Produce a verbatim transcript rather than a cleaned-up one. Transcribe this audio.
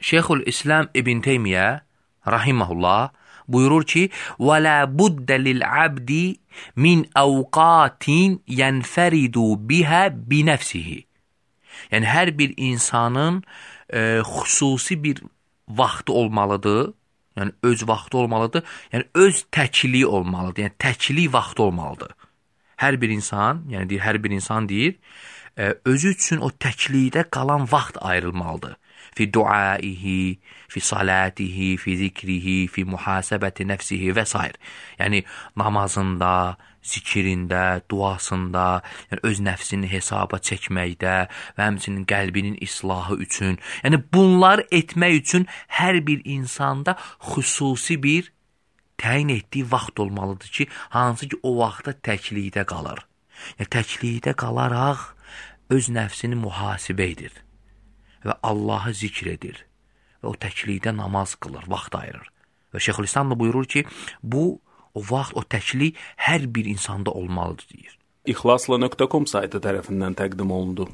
Şeyxülislam İbn Teymiyyə rahimehullah buyurur ki: "Və la budda lil-abdi min awqatin yenferidu biha bi nefsihi." Yəni hər bir insanın e, xüsusi bir vaxtı olmalıdır. Yəni öz vaxtı olmalıdır. Yəni öz təkliyi olmalıdır. Yəni təklik vaxtı olmalıdır. Hər bir insan, yəni deyir, hər bir insan deyir, e, özü üçün o təklikdə qalan vaxt ayrılmalıdır. Fi duaihi, fi salatihi, fi zikrihi, fi muhasebəti nəfsihi və s. Yəni namazında, zikirində, duasında, yəni öz nəfsini hesaba çəkməkdə və həmçinin qəlbinin islahı üçün, yəni bunlar etmək üçün hər bir insanda xüsusi bir təyin etdiyi vaxt olmalıdır ki, hansı ki o vaxtda təklikdə qalır. Yəni təklikdə qalaraq öz nəfsini mühasibə edir və Allahı zikr edir və o təklikdə namaz qılır, vaxt ayırır. Və Şeyxülislam da buyurur ki, bu o vaxt, o təklik hər bir insanda olmalıdır deyir. İxlasla nöqtə com saytı tərəfindən təqdim olundu.